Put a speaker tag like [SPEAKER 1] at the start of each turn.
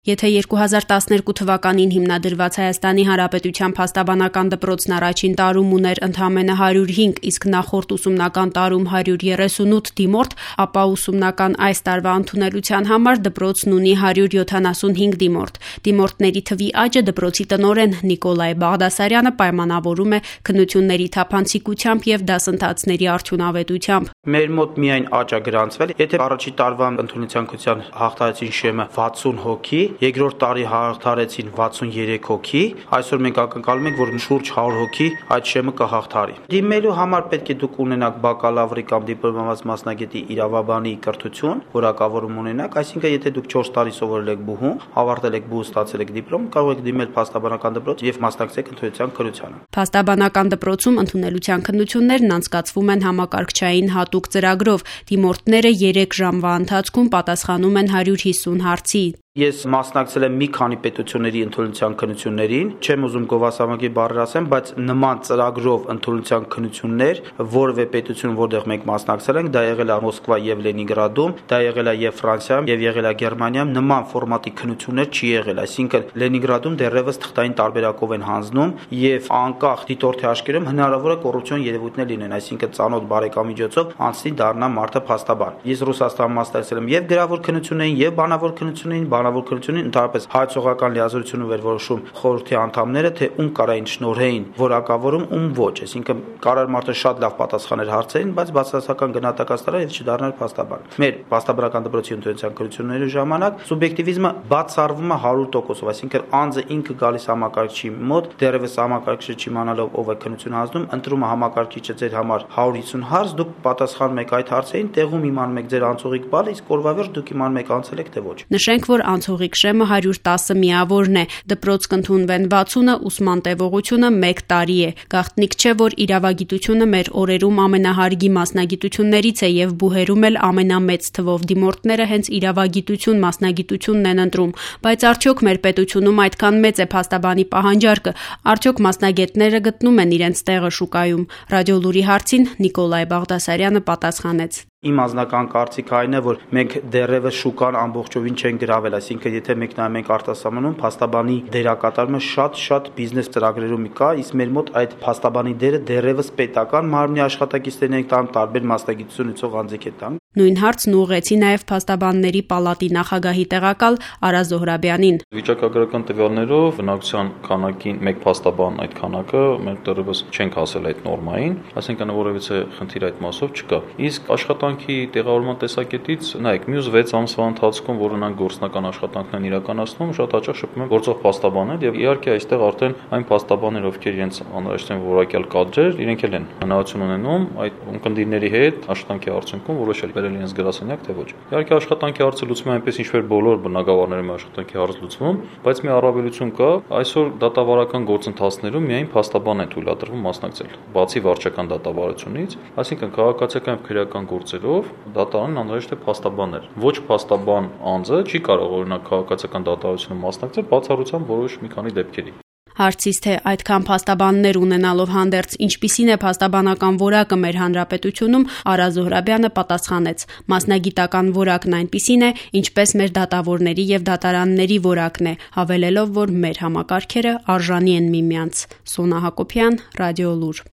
[SPEAKER 1] Եթե 2012 թվականին հիմնադրված Հայաստանի Հանրապետության փաստաբանական դպրոցն առաջին տարում ուներ ընդամենը 105, իսկ նախորդ ուսումնական տարում 138 դիմորդ, ապա ուսումնական այս տարվա ընդունելության համար դպրոցն ունի 175 դիմորդ։ Դիմորդների թվի աճը դպրոցի տնօրեն Նիկոլայ Բաղդասարյանը պայմանավորում է քննությունների թափանցիկությամբ եւ դասընթացների արդյունավետությամբ։
[SPEAKER 2] Մեր մոտ միայն աճ է գրանցվել, եթե առաջի տարվա ընդունելության քննության հաղթահարեցին շեմը 60 հոգի, երկրորդ տարի հաղթարեցին 63 հոգի, այսօր մենք ակնկալում ենք, որ շուրջ 100 հոգի այդ շեմը կհաղթարի։ Դիմելու համար պետք է դուք ունենաք բակալավրի կամ դիպլոմացի մասնագետի իրավաբանի կրթություն, որակավորում ունենաք, այսինքն եթե դուք 4 տարի սովորել եք բուհում, ավարտել եք բուհ, ստացել եք դիպլոմ, կարող եք դիմել փաստաբանական դպրոց եւ մասնակցել ընդունելության քննությանը։
[SPEAKER 1] Փաստաբանական դպրոցում ընդունելության քննություններն անցկացվում են համակարգչային հատուկ ծրագրով։ Դիմորդները 3 ժամվա ընթացքում պատասխանում են 150 հարցի։
[SPEAKER 2] Ես մասնակցել եմ մի քանի պետությունների ընդունելության քննություններին, չեմ ուզում գովասանքի բառեր ասեմ, բայց նման ծրագրով ընդունելության քննություններ որևէ պետություն, որտեղ մենք մասնակցել ենք, դա եղել է Մոսկվա եւ Լենինգրադում, դա եղել է եւ Ֆրանսիայում եւ եղել է Գերմանիայում, նման ֆորմատի քննություններ չի եղել, այսինքն Լենինգրադում դեռևս թղթային տարբերակով են հանձնում եւ անկախ դիտորդի աչքերում հնարավոր է կոռուպցիոն երևույթներ լինեն, այսինքն ծանոթ բարեկամի միջոցով անցնի դառնա մարդը փաստաբան։ Ես Ռուսաստանում մասնակցել եմ եւ գրավոր քննություններին եւ բանավոր քննություններին, բանավոր քննությունին ընդհանրապես հայցողական լիազորությունը վերորոշում խորհրդի անդամները, թե ում կարային շնորհեին որակավորում, ում ոչ, այսինքն կարար մարդը շատ լավ պատասխաներ հարցերին, բայց բացասական գնահատական ստանար եւ չդառնար փաստաբան։ Մեր փաստաբանական դպրոցի ընդունելության քննությունների ժամանակ սուբյեկտիվիզմը բացառվում է 100%, այսինքն անձը ինքը գալիս համակարգչի մոտ, դեռևս համակարգիչը չիմանալով ով է քննություն հանձնում, ընտրում է համակարգիչը ձեր համար 150 հարց, դուք պատասխանում եք այդ հարցերին, տեղում իմանում եք ձեր անցողիկ բալը, իսկ օրվա վերջ դուք իմանում եք անցել եք թե ոչ։
[SPEAKER 1] Նշենք, որ անցողիկ շեմը 110 միավորն է, դպրոց կընդունվեն 60-ը, ուսման տևողությունը 1 տարի է։ Գաղտնիք չէ, որ իրավագիտությունը մեր օրերում ամենահարգի մասնագիտություններից է եւ բուհերում էլ ամենամեծ թվով դիմորդները հենց իրավագիտություն մասնագիտությունն են ընտրում, բայց արդյոք մեր պետությունում այդքան մեծ է փաստաբանի պահանջարկը, արդյոք մասնագետները գտնում են իրենց տեղը շուկայում։ Ռադիո Լուրի հարցին Նիկոլայ Բաղդասարյանը պատասխանեց.
[SPEAKER 2] Իմ անձնական կարծիքը այն է, որ մենք դեռևս շուկան ամբողջովին չենք գրավել, այսինքն եթե մենք նայում ենք արտասահմանում, փաստաբանի դերակատարումը շատ բիզնես ծրագրերում կա, իսկ մեր մոտ այդ փաստաբանի դերը դեռևս պետական մարմնի աշխատակիցներն են տանում, տարբեր մասնագիտություն ունեցող անձիկ են տանում։
[SPEAKER 1] Նույն հարցն ուղղեցի նաև փաստաբանների պալատի նախագահի տեղակալ Արա Զոհրաբյանին։
[SPEAKER 3] Վիճակագրական տվյալներով բնակչության քանակին մեկ փաստաբան այդ քանակը մենք դեռևս չենք հասել այդ նորմային, այսինքն որևիցե խնդիր այդ մասով չկա։ Իսկ աշխատանքի տեղավորման տեսակետից նայեք, մյուս 6 ամսվա ընթացքում, որ նրանք գործնական աշխատանքն են իրականացնում, շատ հաճախ շփվում են գործող փաստաբաններ եւ իհարկե այստեղ արդեն այն փաստաբաններ, ովքեր իրենց անհրաժեշտ են որակյալ կադրեր, իրենք էլ են հնարավորություն ունենում այդ ունկնդիրների հետ աշխատանքի արդյունքում որոշել բերել իրենց գրասենյակ թե ոչ։ Իհարկե աշխատանքի հարցը լուծվում է այնպես ինչպես բոլոր բնակավարներում աշխատանքի հարց լուծվում, բայց մի առավելություն կա, այսօր դատավարական գործընթացներում միայն փաստաբան է թույլատրվում մասնակցել, բացի վարչական դատավարությունից, այսինքն քաղաքացիական եւ քրեական գործերով դատարանն անհրաժեշտ է փաստաբաններ։ Ոչ փաստաբան անձը չի կարող օրինակ քաղաքացիական դատավարությունում մասնակցել բացառությամբ որոշ մի քանի դեպքերի։
[SPEAKER 1] Հարցից թե այդքան փաստաբաններ ունենալով հանդերձ ինչպիսին է փաստաբանական որակը մեր հանրապետությունում, Արա Զոհրաբյանը պատասխանեց. մասնագիտական որակն այնպիսին է, ինչպես մեր դատավորների եւ դատարանների որակն է, հավելելով, որ մեր համակարգերը արժանի են միմյանց։ Սոնա Հակոբյան, Ռադիո Լուր։